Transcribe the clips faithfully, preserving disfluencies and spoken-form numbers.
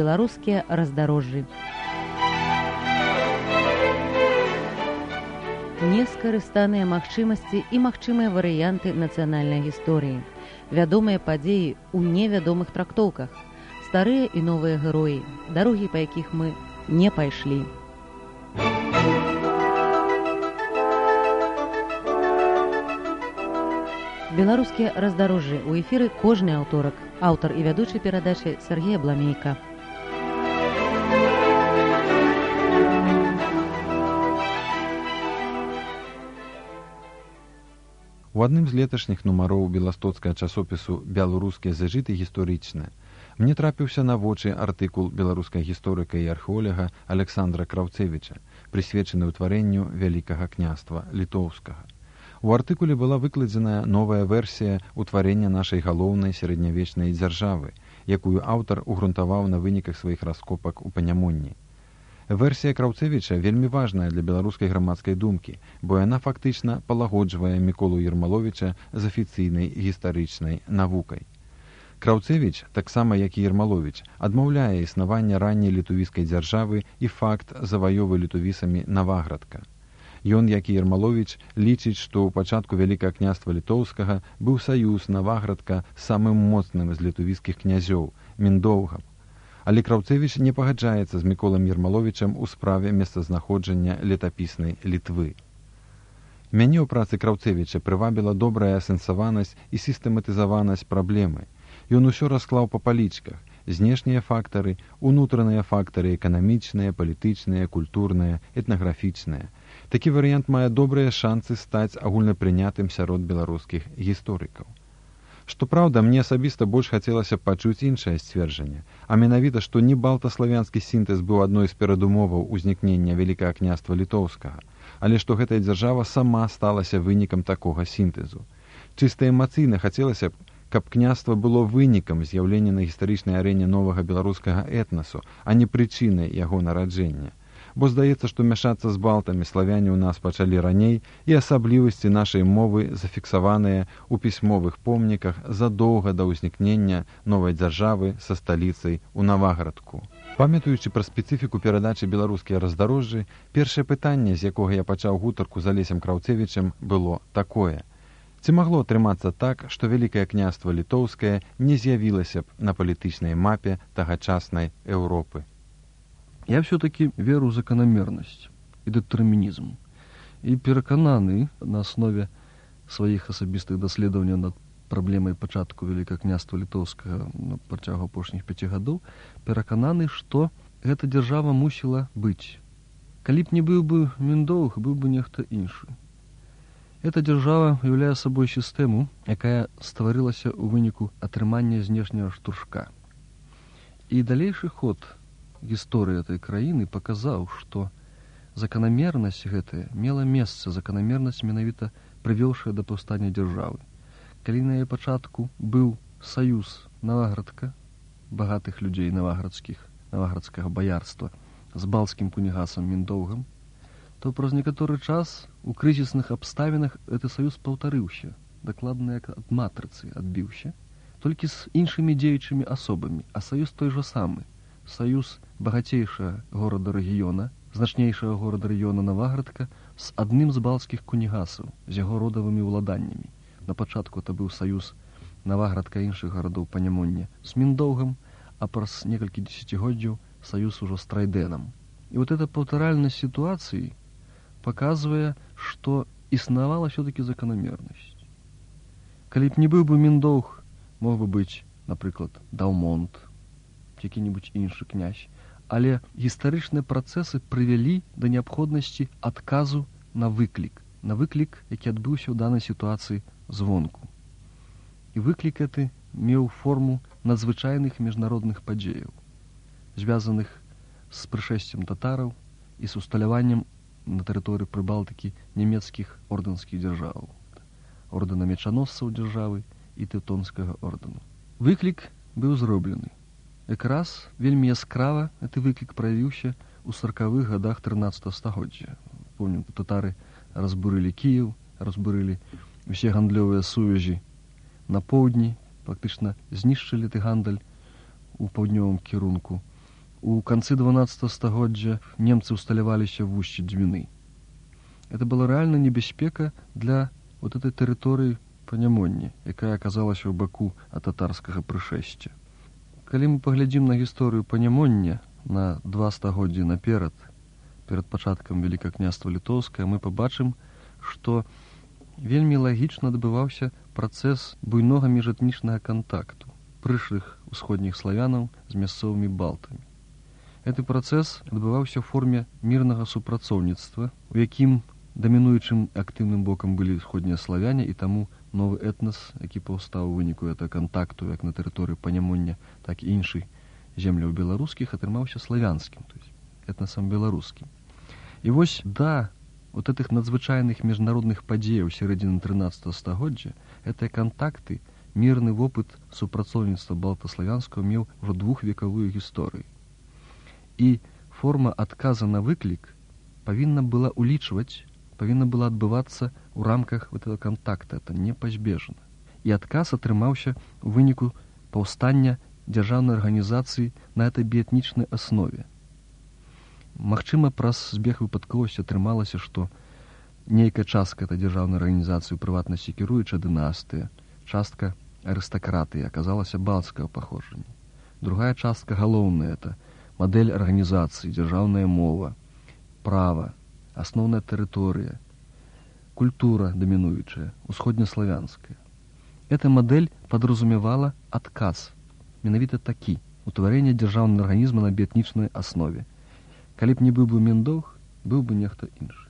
беларускія раздарожжы. Нескарыстаныя магчымасці і магчымыя варыянты нацыянальнай гісторыі. Вядомыя падзеі ў невядомых трактоўках. Старыя і новыя героі, дарогі, па якіх мы не пайшлі. Беларускія раздарожжы. У эфіры кожны аўторак. Аўтар і вядучы перадачы Сергей Абламейка. У адным з леташніх нумароў беластоцкага часопісу «Беларускія зажыты гісторычныя» мне трапіўся на вочы артыкул беларускага гісторыка і археолага Александра Краўцевіча, прысвечаны ўтварэнню Вялікага княства літоўскага. У артыкуле была выкладзеная новая версія ўтварэння нашай галоўнай сярэднявечнай дзяржавы, якую аўтар угрунтаваў на выніках сваіх раскопак у Панямонні. Версія Краўцевіча вельмі важная для беларускай грамадскай думкі, бо яна фактычна палагоджвае Міколу Ермаловіча з афіцыйнай гістарычнай навукай. Краўцевіч, таксама як і Ермаловіч, адмаўляе існаванне ранняй літувійскай дзяржавы і факт заваёвы літувісамі Наваградка. Ён, як і Ермаловіч, лічыць, што ў пачатку Вялікага княства літоўскага быў саюз Наваградка самым моцным з літувійскіх князёў, Міндоўгам. Але Краўцевіч не пагаджаецца з Міколам Ермаловічам у справе месцазнаходжання летапіснай Літвы. Мяне ў працы Краўцевіча прывабіла добрая асэнсаванасць і сістэматызаванасць праблемы. Ён усё расклаў па палічках: знешнія фактары, унутраныя фактары эканамічныя, палітычныя, культурныя, этнаграфічныя. Такі варыянт мае добрыя шанцы стаць агульнапрынятым сярод беларускіх гісторыкаў. Што праўда, мне асабіста больш хацелася б пачуць іншае сцверджанне, а менавіта, што не балтаславянскі сінтэз быў адной з перадумоваў узнікнення Вялікага княства літоўскага, але што гэтая дзяржава сама сталася вынікам такога сінтэзу. Чыста эмацыйна хацелася б, каб княства было вынікам з'яўлення на гістарычнай арэне новага беларускага этнасу, а не прычынай яго нараджэння. Бо здаецца, што мяшацца з балтамі славяне ў нас пачалі раней, і асаблівасці нашай мовы зафіксаваныя ў пісьмовых помніках задоўга да ўзнікнення новай дзяржавы са сталіцай у Наваградку. Памятаючы пра спецыфіку перадачы беларускія раздарожжы, першае пытанне, з якога я пачаў гутарку з Алесем Краўцевічам, было такое: ці магло атрымацца так, што Вялікае княства літоўскае не з'явілася б на палітычнай мапе тагачаснай Еўропы? Я все-таки веру в закономерность и детерминизм. И переконаны на основе своих особистых доследований над проблемой початку Великого княства Литовского на протягу апошніх пяти гадоў, переконаны, что эта держава мусила быть. Калі б не быў бы Міндоўг, быў бы нехта іншы. Эта держава уяўляе собой сістэму, якая стварылася ў выніку атрымання знешняга штуршка. И далейшы ход гісторыі этой краіны паказаў, што заканамернасць гэтая мела месца, заканамернасць менавіта прывёўшая да паўстання дзяржавы. Калі на яе пачатку быў саюз Наваградка, багатых людзей наваградскіх, наваградскага баярства, з балцкім кунігасам Міндоўгам, то праз некаторы час у крызісных абставінах гэты саюз паўтарыўся, дакладна як ад матрыцы адбіўся, толькі з іншымі дзеючымі асобамі, а саюз той жа самы. Саюз багацейшага горада-рэгіёна, значнейшага горада-рэгіёна Наваградка з адным з балцкіх кунігасаў, з яго родавымі ўладаннямі. На пачатку это быў саюз Наваградка і іншых гарадоў Панямоння з Міндоўгам, а праз некалькі дзесяцігоддзяў саюз ужо з Трайдэнам. І вот эта паўтаральнасць сітуацыі паказвае, што існавала все-таки заканамернасць. Калі б не быў бы Міндоўг, мог бы быць, напрыклад, Даўмонт, які-небудзь іншы князь, але гістарычныя працэсы прывялі да неабходнасці адказу на выклік, на выклік, які адбыўся ў данай сітуацыі звонку. І выклік гэты меў форму надзвычайных міжнародных падзеяў, звязаных з прышэсцем татараў і з усталяваннем на тэрыторыі Прыбалтыкі нямецкіх ордэнскіх дзяржаваў, ордэна мечаносцаў дзяржавы і тэўтонскага ордэну. Выклік быў зроблены. Якраз вельмі яскрава гэты выклік праявіўся ў саркавых гадах трынаццатага стагоддзя. Помню, татары разбурылі Кіеў, разбурылі усе гандлёвыя сувязі на поўдні, фактычна знішчылі ты гандаль у паўднёвым кірунку. У канцы дванаццатага стагоддзя немцы ўсталяваліся в устье Двины. Это была рэальна небяспека для вот этой тэрыторыі Панямонні, якая аказалася ў баку ад татарскага прышэсця. Калі мы паглядзім на гісторыю Панямоння на два стагоддзі наперад, перад пачаткам Вялікага княства Літоўскае, мы пабачым, што вельмі лагічна адбываўся працэс буйнога міжэтнічнага кантакту прышлых усходніх славянаў з мясцовымі балтамі. Гэты працэс адбываўся ў форме мірнага супрацоўніцтва, у якім дамінуючым актыўным бокам былі усходнія славяне, і таму новы этнас, які паўстаў у выніку гэтага кантакту як на тэрыторыі Панямоння, так і іншых земляў беларускіх, атрымаўся славянскім, то есть этнасам беларускім. І вось да вот этих надзвычайных міжнародных падзеяў сярэдзіны трынаццатага стагоддзя гэтыя кантакты, мірны вопыт супрацоўніцтва балтаславянскага меў ужо двухвекавую гісторыю. І форма адказа на выклік павінна была улічваць, павінна была адбывацца ў рамках этого кантакта, это непазбежна. І адказ атрымаўся ў выніку паўстання дзяржаўнай арганізацыі на этой біэтнічнай аснове. Магчыма, праз збег выпадковасці атрымалася, што нейкая частка этой дзяржаўнай арганізацыі, у прыватнасці кіруючая дынастыя, частка арыстакратыі аказалася балцкага паходжання. Другая частка галоўная — это мадэль арганізацыі, дзяржаўная мова, права, асноўная тэрыторыя, культура дамінуючая, усходнеславянская. Эта мадэль падразумевала адказ, менавіта такі, утварэнне дзяржаўнага арганізма на біэтнічнай аснове. Калі б не быў бы Міндоўг, быў бы нехта іншы.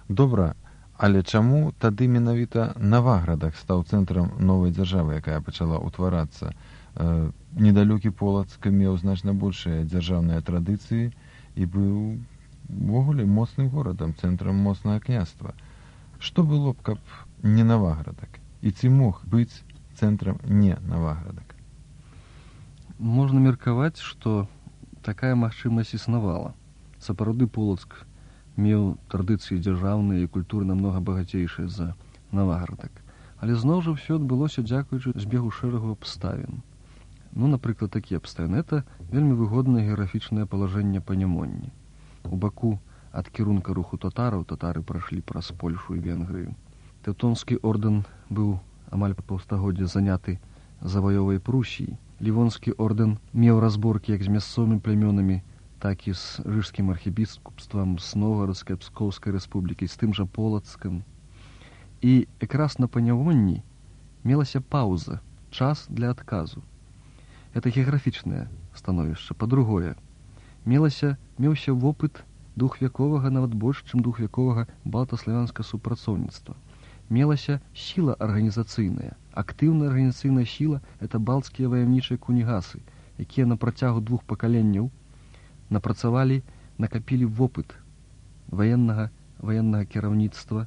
Добра, але чаму тады менавіта Наваградак стаў цэнтрам новай дзяржавы, якая пачала ўтварацца? Э, недалёкі Полацк меў значна большыя дзяржаўныя традыцыі і быў увогуле моцным горадам, цэнтрам моцнага княства. Што было б, каб не Наваградак? І ці мог быць цэнтрам не Наваградак? Можна меркаваць, што такая магчымасць існавала. Сапраўды Полацк меў традыцыі дзяржаўныя і культуры намнога багацейшыя за Наваградак. Але зноў жа ўсё адбылося дзякуючы збегу шэрагу абставін. Ну, напрыклад, такія абставіны. Это вельмі выгоднае геаграфічнае палажэнне Панямонні. У баку ад кірунка руху татараў татары прайшлі праз Польшу і Венгрыю. Тэўтонскі ордэн быў амаль па паўстагоддзя заняты заваёвай Прусіі. Лівонскі ордэн меў разборкі як з мясцовымі плямёнамі, так і з рыжскім архібіскупствам, з Новгарадскай Пскоўскай рэспублікай, з тым жа Полацкам. І якраз на Панямонні мелася паўза, час для адказу. Это геаграфічнае становішча. Па-другое, мелася, меўся вопыт двухвяковага, нават больш, чым двухвяковага балтаславянскага супрацоўніцтва. Мелася сіла арганізацыйная. Актыўная арганізацыйная сіла — это балцкія ваяўнічыя кунігасы, якія на працягу двух пакаленняў напрацавалі, накапілі вопыт ваеннага, ваеннага кіраўніцтва,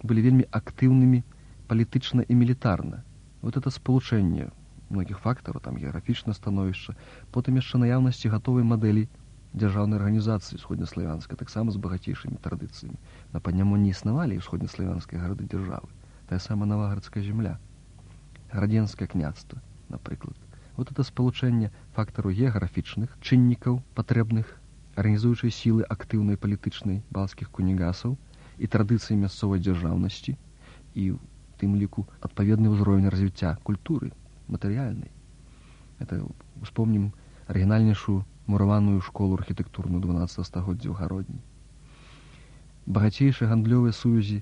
былі вельмі актыўнымі палітычна і мілітарна. Вот это спалучэнне многіх фактараў, там геаграфічнае становішча, потым яшчэ наяўнасці гатовай мадэлі дзяржаўнай арганізацыі усходнеславянскай, таксама з багацейшымі традыцыямі. На Панямонні існавалі усходнеславянскія гарады-дзяржавы, тая сама Наваградская земля, Градзенскае княства, напрыклад. Вот это спалучэнне фактараў геаграфічных, чыннікаў патрэбных, арганізуючай сілы актыўнай палітычнай балцкіх кунігасаў і традыцыі мясцовай дзяржаўнасці, і ў тым ліку адпаведны ўзровень развіцця культуры матэрыяльнай. Это успомнім арыгінальнейшую мураваную школу архітэктурную дванаццатага стагоддзя ў Гародні. Багацейшыя гандлёвыя сувязі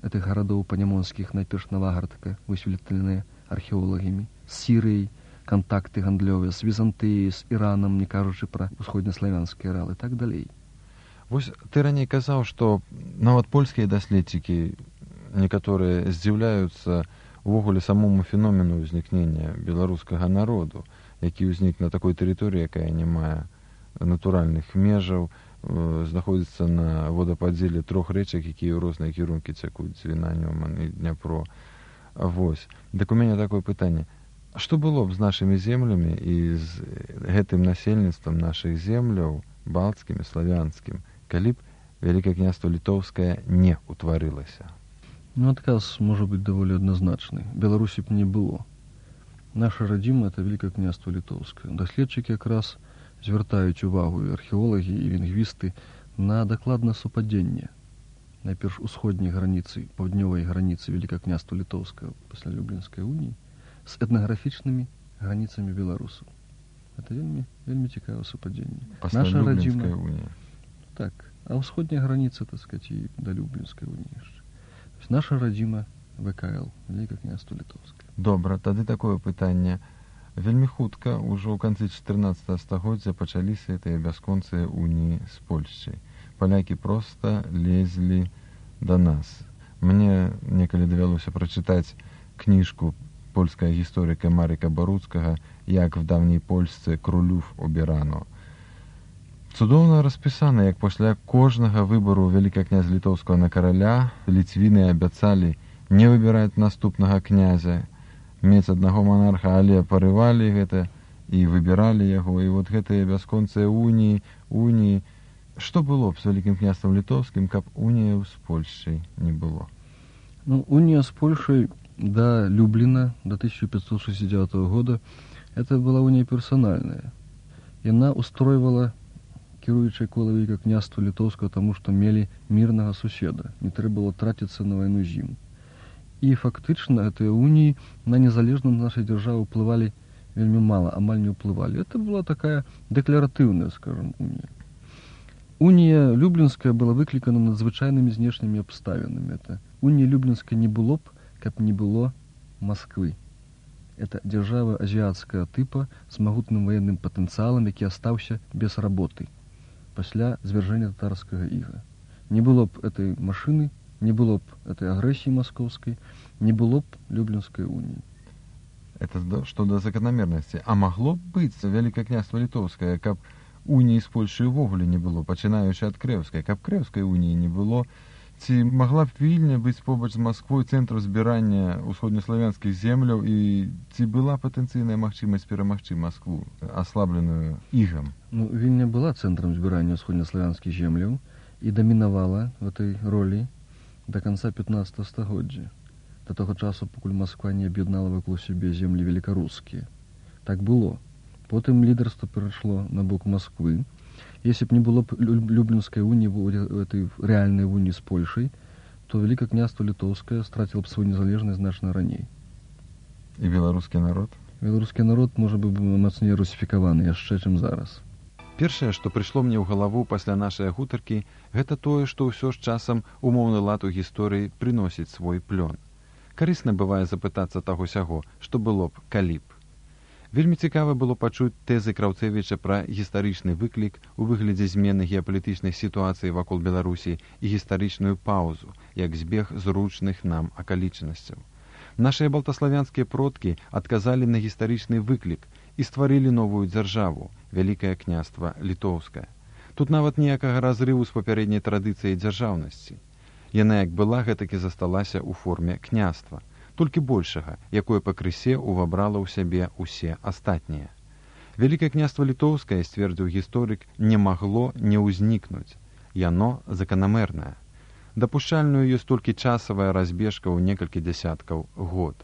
гэтых гарадоў панямонскіх, найперш Наваградка, высветленыя археолагамі, з Сірыяй, кантакты гандлёвыя, з Візантыяй, з Іранам, не кажучы пра усходнеславянскія аралы, і так далей. Вось ты раней казаў, што нават польскія даследчыкі некаторыя здзіўляюцца увогуле самому феномену ўзнікнення беларускага народу, які ўзнік на такой тэрыторыі, якая не мае натуральных межаў, знаходзіцца на водападзеле трох рэчак, якія ў розныя кірункі цякуць, Двіна, Нёман і Дняпро. Вось. Дык у мяне такое пытанне. Што было б з нашымі землямі і з гэтым насельніцтвам нашых земляў, балцкім і славянскім, калі б Вялікае княства Літоўскае не ўтварылася? Ну, адказ можа быць даволі адназначны. Беларусі б не было. Наша радзіма — это Вялікае княства Літоўскае. Даследчыкі якраз звяртаюць увагу і археолагі, і лінгвісты на дакладнае супадзенне найперш усходняй граніцы, паўднёвай граніцы Вялікага княства Літоўскага пасля Люблінскай уніі з этнаграфічнымі граніцамі беларусаў. Это вельмі, вельмі цікавае супадзенне. Пасля Наша Люблінскай радзіма... уніі. Так, а ўсходняя граніца, так сказать, і да Люблінскай уніі яшчэ. Наша радзіма вэ ка эл, Вялікага княства Літоўскае. Добра, тады такое пытанне. Вельмі хутка, ужо ў канцы чатырнаццатага стагоддзя пачаліся гэтыя бясконцыя уніі з Польшчай. Палякі проста лезлі да нас. Мне некалі давялося прачытаць кніжку польскага гісторыка Маріка Баруцкага «Як в давній Польсцы крулюв обірано». Цудоўна распісана, як пасля кожнага выбару вялікага князя літоўскага на караля ліцвіны абяцалі не выбіраць наступнага князя, мець аднаго монарха, але парывалі гэта і выбіралі яго. І вот гэтыя бясконцыя уніі, уніі. Што было б з Вялікім княствам літоўскім, каб унія з Польшчай не было? Ну, унія з Польшай до Любліна, до тысяча пятьсот шестьдесят девятого года, это была унія персональная. Яна устройвала кіруючае кола Вялікага княства літоўскага, таму што мелі мірнага суседа. Не трэба было траціцца на вайну з ім. І фактычна гэтыя уніі на незалежнасць нашай дзяржавы ўплывалі вельмі мала, амаль не ўплывалі. Это была такая дэкларатыўная, скажем, унія. Унія Люблінская была выклікана надзвычайнымі знешнімі абставінамі. Это унія Люблінская не было б, каб не было Масквы. Это дзяржава азіяцкага тыпа з магутным ваенным патэнцыялам, які астаўся без работы пасля звяржэння татарскага іга. Не было б этой машыны, не было б этой агрэсіі маскоўскай, не было б Люблінскай уніі. Это што да заканамернасці. А магло б быць Вялікае княства літоўскае, каб уніі з Польшай увогуле не было, пачынаючы ад Крэўскай, каб Крэўскай уніі не было? Ці магла б Вільня быць побач з Масквой цэнтрам збірання ўсходнеславянскіх земляў, і ці была патэнцыйная магчымасць перамагчы Маскву, аслабленую ігам? Ну, Вільня была цэнтрам збірання ўсходнеславянскіх земляў і дамінавала в этой ролі до конца пятнадцатого стагоддзя, до того часу, пакуль Масква не аб'яднала вакол сябе землі великарускія. Так было. Потым лідарства перайшло на бок Масквы. Если б не было б Люблінскай уніі, этой реальной унии с Польшей, то Великое княство Литовское стратило бы свою незалежность значно раней. И белорусский народ? Белорусский народ, может быть, мацней русификованы яшчэ, чым зараз. Першае, што прыйшло мне ў галаву пасля нашай гутаркі, гэта тое, што ўсё ж часам умоўны лад у гісторыі прыносіць свой плён. Карысна бывае запытацца таго-сяго, што было б, калі б. Вельмі цікава было пачуць тэзы Краўцевіча пра гістарычны выклік у выглядзе змены геапалітычнай сітуацыі вакол Беларусі і гістарычную паўзу, як збег зручных нам акалічнасцяў. Нашыя балтаславянскія продкі адказалі на гістарычны выклік і стварылі новую дзяржаву, Вялікае княства Літоўскае. Тут нават ніякага разрыву з папярэдняй традыцыяй дзяржаўнасці. Яна як была, гэтакі засталася ў форме княства, толькі большага, якое пакрысе увабрала ў сябе ўсе астатнія. Вялікае княства Літоўскае, сцвердзіў гісторык, не магло не ўзнікнуць. Яно заканамернае. Дапушчальную ёсць толькі часавая разбежка ў некалькі дзясяткаў год.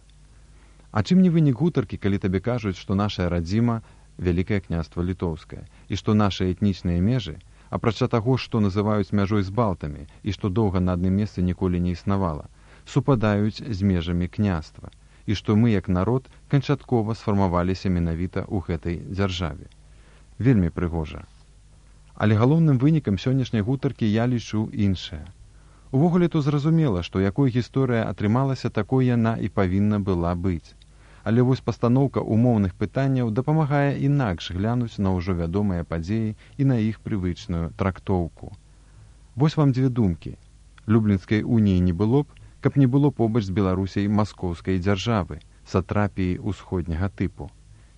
А чым не вынік гутаркі, калі табе кажуць, што нашая радзіма Вялікае княства Літоўскае, і што нашы этнічныя межы, апрача таго, што называюць мяжой з балтамі, і што доўга на адным месцы ніколі не існавала, супадаюць з межамі княства, і што мы, як народ, канчаткова сфармаваліся менавіта ў гэтай дзяржаве. Вельмі прыгожа. Але галоўным вынікам сённяшняй гутаркі я лічу іншае. Увогуле то зразумела, што якой гісторыя атрымалася, такой яна і павінна была быць. Але вось пастаноўка умоўных пытанняў дапамагае інакш глянуць на ўжо вядомыя падзеі і на іх прывычную трактоўку. Вось вам дзве думкі. Люблінскай уніі не было б, каб не было побач з Беларусяй маскоўскай дзяржавы, сатрапіі ўсходняга тыпу.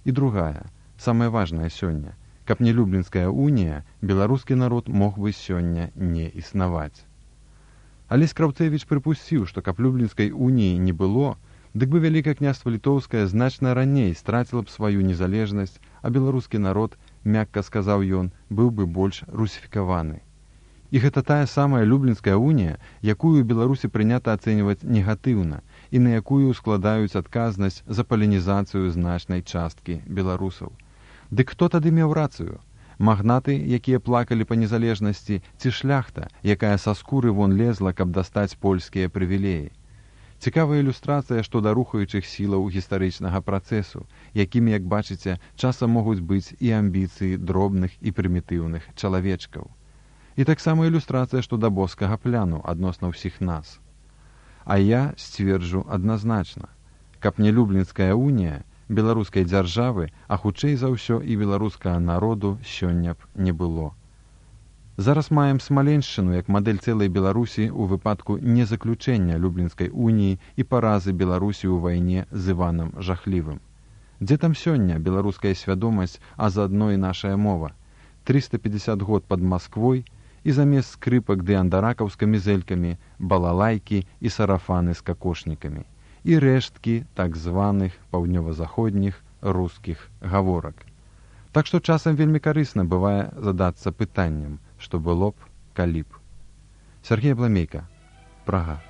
І другая, самая важная сёння, каб не Люблінская унія, беларускі народ мог бы сёння не існаваць. Алесь Краўцевіч прыпусціў, што каб Люблінскай уніі не было, дык бы Вялікае княства Літоўскае значна раней страціла б сваю незалежнасць, а беларускі народ, мякка сказаў ён, быў бы больш русіфікаваны. І гэта тая самая Люблінская унія, якую ў Беларусі прынята ацэньваць негатыўна і на якую складаюць адказнасць за палінізацыю значнай часткі беларусаў. Дык хто тады меў рацыю? Магнаты, якія плакалі па незалежнасці, ці шляхта, якая са скуры вон лезла, каб дастаць польскія прывілеі. Цікавая ілюстрацыя што да рухаючых сілаў гістарычнага працэсу, якімі, як бачыце, часам могуць быць і амбіцыі дробных і прымітыўных чалавечкаў. І таксама ілюстрацыя што да боскага пляну адносна ўсіх нас. А я сцверджу адназначна, каб не Люблінская унія, беларускай дзяржавы, а хутчэй за ўсё і беларускага народу сёння б не было. Зараз маем Смаленшчыну як мадэль цэлай Беларусі ў выпадку незаключэння Люблінскай уніі і паразы Беларусі ў вайне з Іванам Жахлівым. Дзе там сёння беларуская свядомасць, а заадно і нашая мова? трыста пятьдесят год пад Масквой і замест скрыпак ды андаракаў з камізэлькамі, балалайкі і сарафаны з какошнікамі. І рэшткі так званых паўднёва-заходніх рускіх гаворак. Так што часам вельмі карысна бывае задацца пытаннем, што было б, калі б. Сергей Бламейка, Прага.